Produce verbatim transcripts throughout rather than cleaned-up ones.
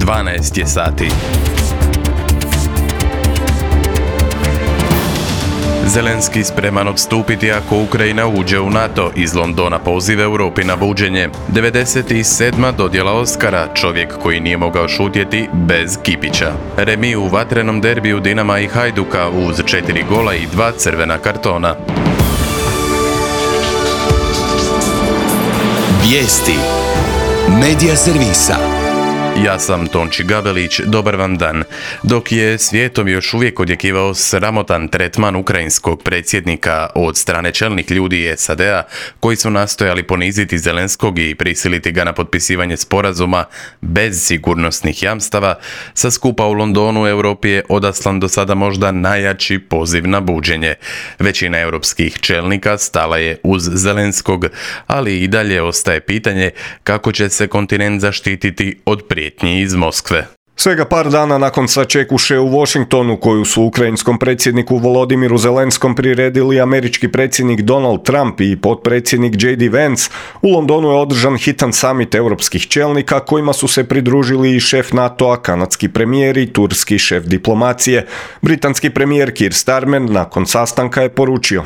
dvanaest je sati. Zelenski spreman odstupiti ako Ukrajina uđe u NATO. Iz Londona poziv Europi na buđenje. devedeset sedma dodjela Oskara, čovjek koji nije mogao šutjeti bez Kipića. Remi u vatrenom derbiju Dinama i Hajduka uz četiri gola i dva crvena kartona. Vijesti Medija servisa. Ja sam Tonči Gabelić, dobar vam dan. Dok je svijetom još uvijek odjekivao sramotan tretman ukrajinskog predsjednika od strane čelnih ljudi S A D-a, koji su nastojali poniziti Zelenskog i prisiliti ga na potpisivanje sporazuma bez sigurnosnih jamstava, sa skupa u Londonu Europi je odaslan do sada možda najjači poziv na buđenje. Većina europskih čelnika stala je uz Zelenskog, ali i dalje ostaje pitanje kako će se kontinent zaštititi od prijetnji iz Moskve. Svega par dana nakon sačekuše u Washingtonu, koju su ukrajinskom predsjedniku Volodimiru Zelenskom priredili američki predsjednik Donald Trump i potpredsjednik J D Vance, u Londonu je održan hitan samit europskih čelnika kojima su se pridružili i šef NATO-a, kanadski premijer i turski šef diplomacije. Britanski premijer Keir Starmer nakon sastanka je poručio: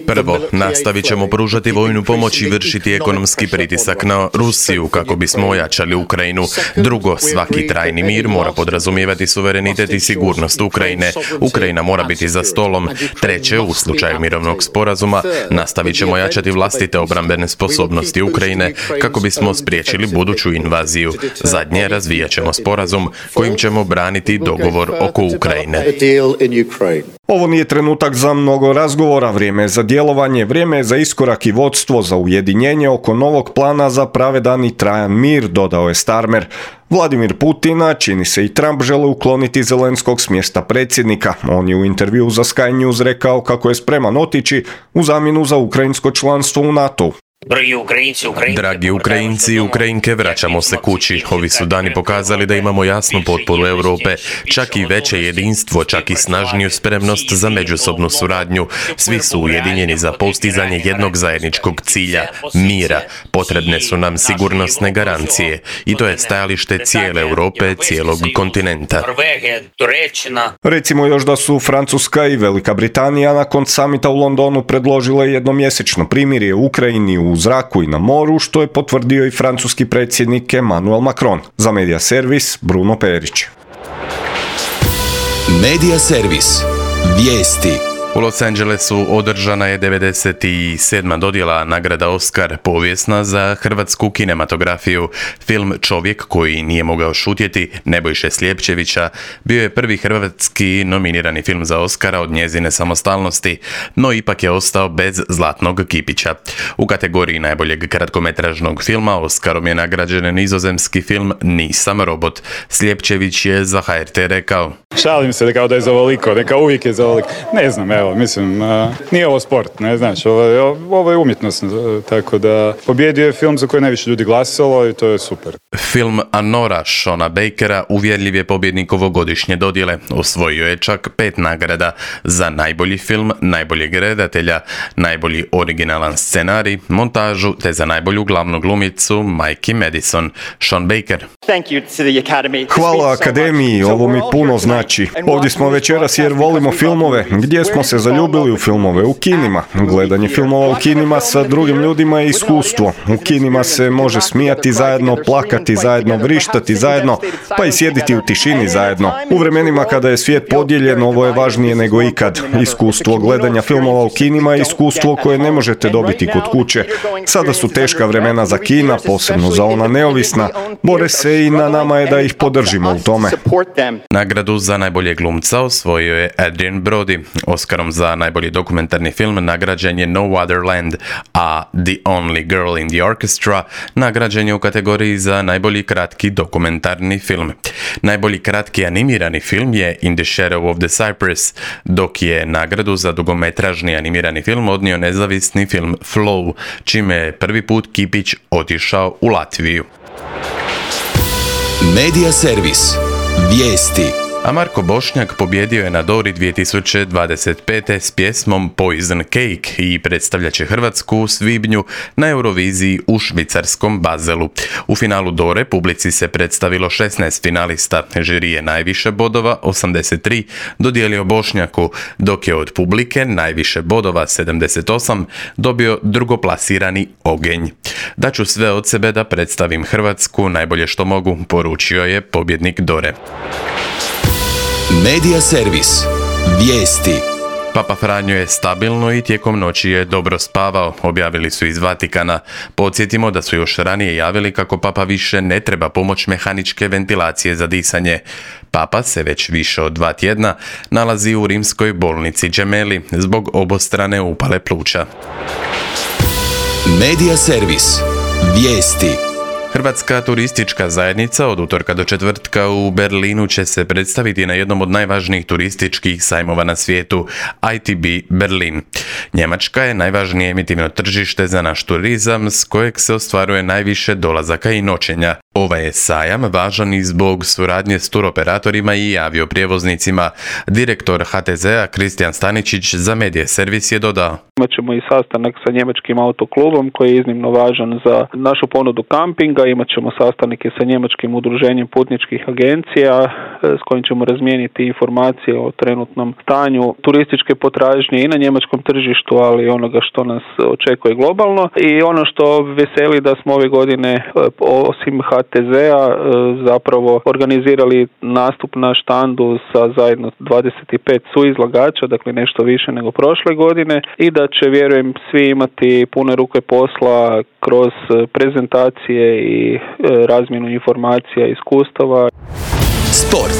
Prvo, nastavit ćemo pružati vojnu pomoć i vršiti ekonomski pritisak na Rusiju kako bismo ojačali Ukrajinu. Drugo, svaki trajni mir mora podrazumijevati suverenitet i sigurnost Ukrajine. Ukrajina mora biti za stolom. Treće, u slučaju mirovnog sporazuma, nastavit ćemo jačati vlastite obrambene sposobnosti Ukrajine kako bismo spriječili buduću invaziju. Zadnje, razvijat ćemo sporazum kojim ćemo braniti dogovor oko Ukrajine. Ovo nije trenutak za mnogo razgovora, vrijeme je za djelovanje, vrijeme je za iskorak i vodstvo, za ujedinjenje oko novog plana za pravedan i trajan mir, dodao je Starmer. Vladimir Putin, a čini se i Trump, žele ukloniti Zelenskog s mjesta predsjednika. On je u intervjuu za Sky News rekao kako je spreman otići u zamjenu za ukrajinsko članstvo u NATO-u. Dragi Ukrajinci i Ukrajinke, vraćamo se kući. Ovi su dani pokazali da imamo jasnu potporu Europe, čak i veće jedinstvo, čak i snažniju spremnost za međusobnu suradnju. Svi su ujedinjeni za postizanje jednog zajedničkog cilja, mira. Potrebne su nam sigurnosne garancije i to je stajalište cijele Europe, cijelog kontinenta. Recimo još da su Francuska i Velika Britanija nakon samita u Londonu predložile jednomjesečno primirje u Ukrajini u zraku i na moru, što je potvrdio i francuski predsjednik Emmanuel Macron. Za Medija servis, Bruno Perić. Medija servis. Vijesti. U Los Angelesu održana je devedeset sedma dodjela nagrada Oskar, povijesna za hrvatsku kinematografiju. Film Čovjek koji nije mogao šutjeti Nebojše Slijepčevića bio je prvi hrvatski nominirani film za Oskara od njezine samostalnosti, no ipak je ostao bez zlatnog kipića. U kategoriji najboljeg kratkometražnog filma Oskarom je nagrađen nizozemski film Nisam robot. Slijepčević je za H R T rekao: Šalim se kao da je za ovoliko, neka uvijek je za ovoliko. Ne znam, evo, mislim, uh, nije ovo sport, ne znaš, ovo je, ovo je umjetnost, tako da pobjedio je film za koji najviše ljudi glasalo i to je super. Film Anora Shona Bakera uvjerljiv je pobjednik ovogodišnje dodjele. Osvojio je čak pet nagrada za najbolji film, najboljeg redatelja, najbolji originalan scenarij, montažu te za najbolju glavnu glumicu Mikey Madison. Sean Baker: Hvala Akademiji, ovo mi puno znači. Ovdje smo večeras jer volimo filmove. Gdje smo se zaljubili u filmove? U kinima. Gledanje filmova u kinima sa drugim ljudima je iskustvo. U kinima se može smijati zajedno, plakati zajedno, vrištati zajedno, pa i sjediti u tišini zajedno. U vremenima kada je svijet podijeljen, ovo je važnije nego ikad. Iskustvo gledanja filmova u kinima je iskustvo koje ne možete dobiti kod kuće. Sada su teška vremena za kina, posebno za ona neovisna. Bore se i na nama je da ih podržimo u tome. Nagradu za najboljeg glumca osvojio je Adrian Brody. Oskarom za najbolji dokumentarni film nagrađen je No Other Land, a The Only Girl in the Orchestra nagrađen je u kategoriji za najbolji kratki dokumentarni film. Najbolji kratki animirani film je In the Shadow of the Cypress, dok je nagradu za dugometražni animirani film odnio nezavisni film Flow, čime je prvi put kipić otišao u Latviju. Medija servis. Vijesti. A Marko Bošnjak pobjedio je na Dori dvije tisuće dvadeset pete s pjesmom Poison Cake i predstavljat će Hrvatsku u svibnju na Euroviziji u švicarskom Baselu. U finalu Dore publici se predstavilo šesnaest finalista. Žiri je najviše bodova, osamdeset tri, dodijelio Bošnjaku, dok je od publike najviše bodova, sedamdeset osam, dobio drugoplasirani Ogenj. Daću sve od sebe da predstavim Hrvatsku najbolje što mogu, poručio je pobjednik Dore. Medija servis. Vijesti. Papa Franjo je stabilno i tijekom noći je dobro spavao, objavili su iz Vatikana. Podsjetimo da su još ranije javili kako Papa više ne treba pomoć mehaničke ventilacije za disanje. Papa se već više od dva tjedna nalazi u rimskoj bolnici Gemelli zbog obostrane upale pluća. Medija servis. Vijesti. Hrvatska turistička zajednica od utorka do četvrtka u Berlinu će se predstaviti na jednom od najvažnijih turističkih sajmova na svijetu, I T B Berlin. Njemačka je najvažnije emitivno tržište za naš turizam s kojeg se ostvaruje najviše dolazaka i noćenja. Ovaj je sajam važan i zbog suradnje s turoperatorima i avioprijevoznicima. Direktor H T Z-a Kristijan Staničić za Medije servis je dodao: Imat ćemo i sastanak sa njemačkim autoklubom koji je iznimno važan za našu ponudu kampinga. Imat ćemo sastanike sa njemačkim udruženjem putničkih agencija s kojim ćemo razmijeniti informacije o trenutnom stanju turističke potražnje i na njemačkom tržištu, ali i onoga što nas očekuje globalno. I ono što veseli da smo ove godine osim H T Z-a zapravo organizirali nastup na štandu sa zajedno dvadeset pet suizlagača, dakle nešto više nego prošle godine, i da će, vjerujem, svi imati pune ruke posla kroz prezentacije i razmjenu informacija i iskustava. Sport.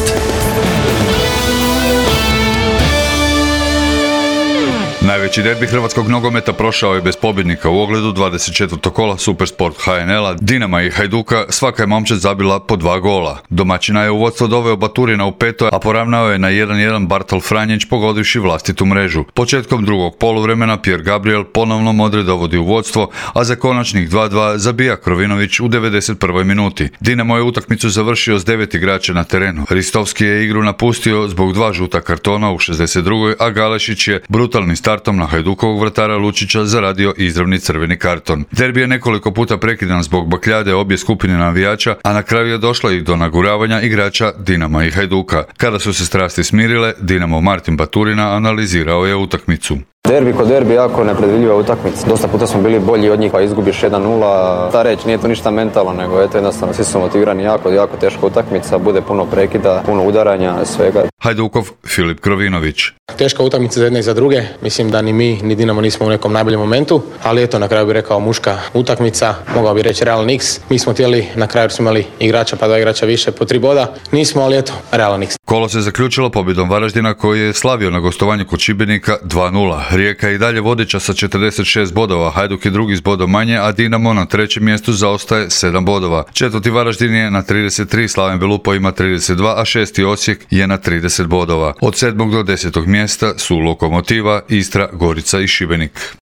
Najveći derbi hrvatskog nogometa prošao je bez pobjednika u ogledu dvadeset četvrtog kola Supersport H N L-a. Dinama i Hajduka svaka je momčad zabila po dva gola. Domaćina je u vodstvo doveo Baturina u peto, a poravnao je na jedan jedan Bartol Franjić pogodivši vlastitu mrežu. Početkom drugog poluvremena Pierre Gabriel ponovno Modre dovodi u vodstvo, a za konačnih dva dva zabija Krovinović u devedeset prvoj minuti. Dinamo je utakmicu završio s devet igrača na terenu. Ristovski je igru napustio zbog dva žuta kartona u šezdeset drugoj, a Galešić je brutalni startom na Hajdukovog vratara Lučića zaradio izravni crveni karton. Derbi je nekoliko puta prekidan zbog bakljade obje skupine navijača, a na kraju je došlo i do naguravanja igrača Dinama i Hajduka. Kada su se strasti smirile, Dinamo Martin Baturina analizirao je utakmicu. Derbi ko derbi, jako nepredvidljiva utakmica. Dosta puta smo bili bolji od njih, pa izgubiš jedan nula. Ta reč, nije to ništa mentalno, nego eto jednostavno svi su motivirani, jako, jako teška utakmica, bude puno prekida, puno udaranja, svega. Hajdukov Filip Krovinović. Teška utakmica za jedne i za druge. Mislim da ni mi, ni Dinamo nismo u nekom najboljem momentu, ali eto, na kraju bih rekao muška utakmica, mogao bih reći Real Nix. Mi smo htjeli, na kraju smo imali igrača, pa dva igrača više, po tri boda. Nismo, ali eto, Real Nix. Kolo se zaključilo pobjedom Varaždina koji je slavio na gostovanju kod Šibenika dva nula. Rijeka je i dalje vodeća sa četrdeset šest bodova, Hajduk je drugi s bodom manje, a Dinamo na trećem mjestu zaostaje sedam bodova. Četvrti Varaždin je na trideset tri, Slaven Belupo ima trideset dva, a šesti Osijek je na trideset bodova. Od sedmog do desetog mjesta su Lokomotiva, Istra, Gorica i Šibenik.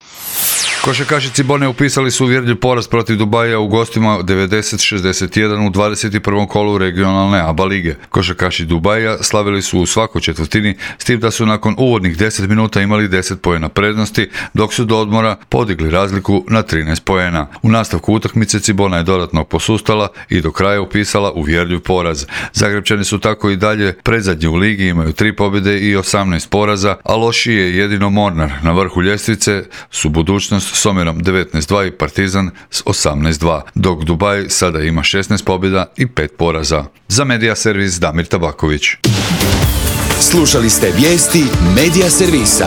Košarkaši Cibone upisali su uvjerljiv poraz protiv Dubaija u gostima devedeset šezdeset jedan u dvadeset prvom kolu regionalne A B A lige. Košarkaši Dubaija slavili su u svakoj četvrtini, s tim da su nakon uvodnih deset minuta imali deset poena prednosti, dok su do odmora podigli razliku na trinaest poena. U nastavku utakmice Cibona je dodatno posustala i do kraja upisala uvjerljiv poraz. Zagrebčani su tako i dalje predzadnji u ligi, imaju tri pobjede i osamnaest poraza, a lošiji je jedino Mornar. Na vrhu ljestvice su Budućnost s omjerom devetnaest dva i Partizan s osamnaest dva, dok Dubaj sada ima šesnaest pobjeda i pet poraza. Za Medija servis Damir Tabaković. Slušali ste vijesti Medija servisa.